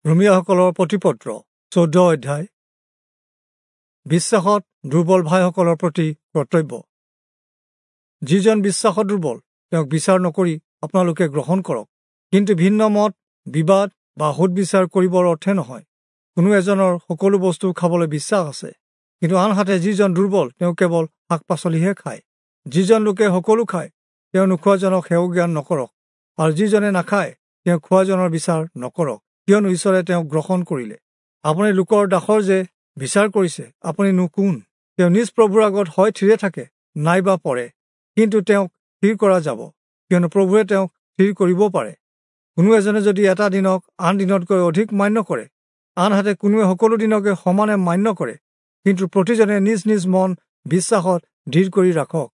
ৰোমীয়াসকলৰ প্ৰতিপত্ৰ 14 অধ্যায়। বিশ্বাসত দুৰ্বল ভাইসকলৰ প্ৰতি কৰ্তব্য। যিজন বিশ্বাসত দুৰ্বল তেওঁক বিচাৰ নকৰি আপোনালোকে গ্ৰহণ কৰক, কিন্তু ভিন্ন মত, বিবাদ বা সোধ বিচাৰ কৰিবৰ অৰ্থে নহয়। কোনো এজনৰ সকলো বস্তু খাবলৈ বিশ্বাস আছে, কিন্তু আনহাতে যিজন দুৰ্বল তেওঁ কেৱল শাক পাচলিহে খায়। যিজন লোকে সকলো খায় তেওঁ নোখোৱাজনক হেয়জ্ঞান নকৰক, আৰু যিজনে নাখায় তেওঁ খোৱাজনৰ বিচাৰ নকৰক, কিয়নো ঈশ্বৰে তেওঁক গ্ৰহণ কৰিলে। আপুনি লোকৰ দাসৰ যে বিচাৰ কৰিছে, আপুনিনো কোন? তেওঁ নিজ প্ৰভুৰ আগত হয় থিৰে থাকে নাইবা পৰে, কিন্তু তেওঁক থিৰ কৰা যাব, কিয়নো প্ৰভুৱে তেওঁক থিৰ কৰিব পাৰে। কোনো এজনে যদি এটা দিনক আন দিনতকৈ অধিক মান্য কৰে, আনহাতে কোনোৱে সকলো দিনকে সমানে মান্য কৰে, কিন্তু প্ৰতিজনে নিজ নিজ মন বিশ্বাসত দৃঢ় কৰি ৰাখক।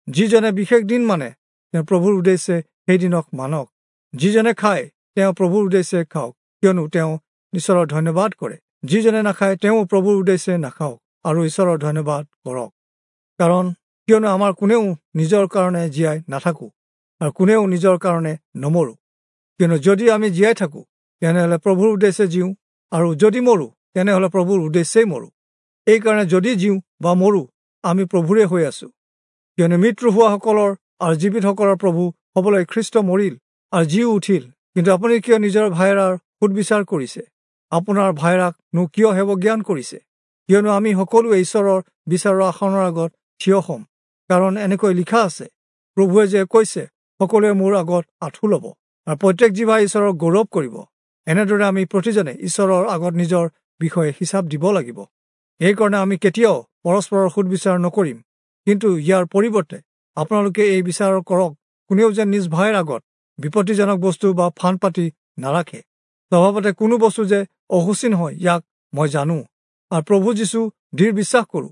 যিজনে বিশেষ দিন মানে তেওঁ প্ৰভুৰ উদ্দেশ্যে সেই দিনক মানক। যিজনে খায় তেওঁ প্ৰভুৰ উদ্দেশ্যে খাওক, কিয়নো তেওঁ ঈশ্বৰৰ ধন্যবাদ কৰে। যিজনে নাখায় তেওঁ প্ৰভুৰ উদ্দেশ্যে নাখাওক আৰু ঈশ্বৰৰ ধন্যবাদ কৰক। কাৰণ কিয়নো আমাৰ কোনেও নিজৰ কাৰণে জীয়াই নাথাকো আৰু কোনেও নিজৰ কাৰণে নমৰো। কিয়নো যদি আমি জীয়াই থাকোঁ তেনেহ'লে প্ৰভুৰ উদ্দেশ্যে জীওঁ, আৰু যদি মৰো তেনেহ'লে প্ৰভুৰ উদ্দেশ্যেই মৰো। এইকাৰণে যদি জীওঁ বা মৰো আমি প্ৰভুৰে হৈ আছো। কিয়নো মৃত্যু হোৱাসকলৰ আৰু জীৱিতসকলৰ প্ৰভু হ'বলৈ খ্ৰীষ্ট মৰিল আৰু জীও উঠিল। কিন্তু আপুনি কিয় নিজৰ ভাইৰাৰ সোধ বিচাৰ কৰিছে? আপোনাৰ ভাইৰাকনো কিয় হেয়জ্ঞান কৰিছে? কিয়নো আমি সকলোৱে ঈশ্বৰৰ বিচাৰৰ আসনৰ আগত থিয় হ'ম। কাৰণ এনেকৈ লিখা আছে, প্ৰভুৱে যে কৈছে, সকলোৱে মোৰ আগত আঁঠু ল'ব আৰু প্ৰত্যেক জিভাই ঈশ্বৰক গৌৰৱ কৰিব। এনেদৰে আমি প্ৰতিজনে ঈশ্বৰৰ আগত নিজৰ বিষয়ে হিচাপ দিব লাগিব। এইকাৰণে আমি কেতিয়াও পৰস্পৰৰ সোধ বিচাৰ নকৰিম, কিন্তু ইয়াৰ পৰিৱৰ্তে আপোনালোকে এই বিচাৰ কৰক, কোনেও যেন নিজ ভাইৰ আগত বিপত্তিজনক বস্তু বা ফান্দ পাতি নাৰাখে। স্বভাৱতে কোনো বস্তু যে অশুচি নহয় ইয়াক মই জানো, আৰু প্ৰভু যীশু দৃঢ় বিশ্বাস কৰোঁ।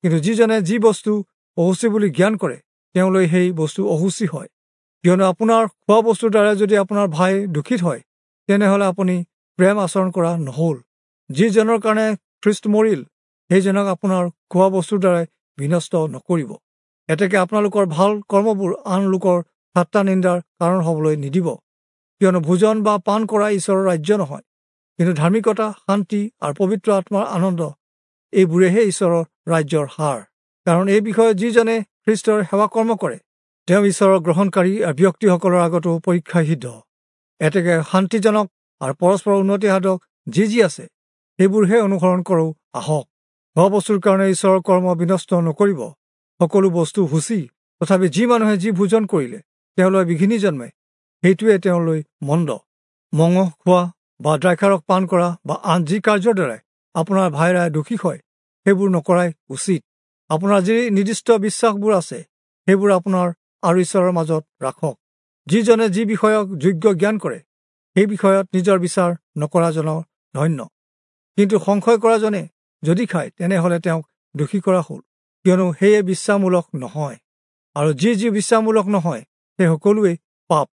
কিন্তু যিজনে যি বস্তু অশুচি বুলি জ্ঞান কৰে তেওঁলৈ সেই বস্তু অশুচি হয়। কিয়নো আপোনাৰ খোৱা বস্তুৰ দ্বাৰা যদি আপোনাৰ ভাই দূষিত হয়, তেনেহ'লে আপুনি প্ৰেম আচৰণ কৰা নহ'ল। যিজনৰ কাৰণে খ্ৰীষ্ট মৰিল সেইজনক আপোনাৰ খোৱা বস্তুৰ দ্বাৰাই বিনষ্ট নকৰিব। এতেকে আপোনালোকৰ ভাল কৰ্মবোৰ আন লোকৰ ঠাট্টা নিন্দাৰ কাৰণ হ'বলৈ নিদিব। কিয়নো ভোজন বা পান কৰা ঈশ্বৰৰ ৰাজ্য নহয়, কিন্তু ধাৰ্মিকতা, শান্তি আৰু পবিত্ৰ আত্মাৰ আনন্দ, এইবোৰেহে ঈশ্বৰৰ ৰাজ্যৰ সাৰ। কাৰণ এই বিষয়ে যিজনে খ্ৰীষ্টৰ সেৱা কৰ্ম কৰে তেওঁ ঈশ্বৰৰ গ্ৰহণকাৰী আৰু ব্যক্তিসকলৰ আগতো পৰীক্ষা সিদ্ধ। এতেকে শান্তিজনক আৰু পৰস্পৰ উন্নতি সাধক যি যি আছে সেইবোৰহে অনুসৰণ কৰোঁ আহক। খোৱা বস্তুৰ কাৰণে ঈশ্বৰৰ কৰ্ম বিনষ্ট নকৰিব। সকলো বস্তু শুচি, তথাপি যি মানুহে যি ভোজন কৰিলে তেওঁলৈ বিঘিনি জন্মে সেইটোৱে তেওঁলৈ মন্দ। মঙহ খোৱা বা দ্ৰাক্ষাৰস পান কৰা বা আন যি কাৰ্যৰ দ্বাৰাই আপোনাৰ ভাইৰাই দোষী হয় সেইবোৰ নকৰাই উচিত। আপোনাৰ যি নিৰ্দিষ্ট বিশ্বাসবোৰ আছে সেইবোৰ আপোনাৰ আৰু ঈশ্বৰৰ মাজত ৰাখক। যিজনে যি বিষয়ক যোগ্য জ্ঞান কৰে সেই বিষয়ত নিজৰ বিচাৰ নকৰাজনৰ ধন্য। কিন্তু সংশয় কৰাজনে যদি খায় তেনেহ'লে তেওঁক দোষী কৰা হ'ল, কিয়নো সেয়ে বিশ্বাসমূলক নহয়। আৰু যি যি বিশ্বাসমূলক নহয় সেই সকলোৱেই পাপ।